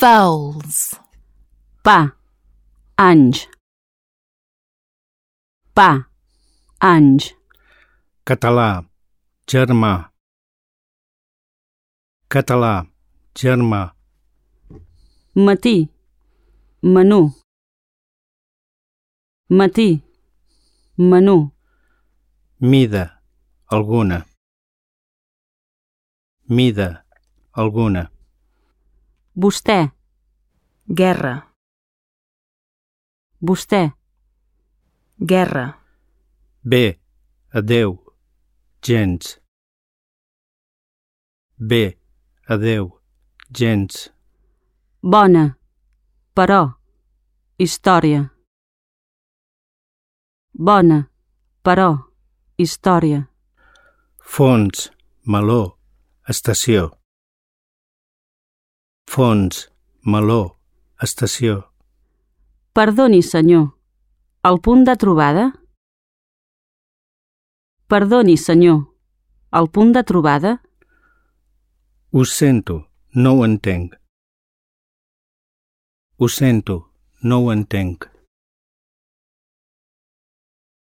Vowels. Pa, anys. Pa, anys. Català, germà. Català, germà. Matí, menú. Matí, menú. Mida, alguna. Mida, alguna. Vostè, guerra. Vostè, guerra. Bé, adeu, gens. Bé, adeu, gens. Bona, però, història. Bona, però, història. Fons, meló, estació. Fons, meló, estació. Perdoni, senyor, el punt de trobada? Perdoni, senyor, el punt de trobada? Ho sento, no ho entenc. Ho sento, no ho entenc.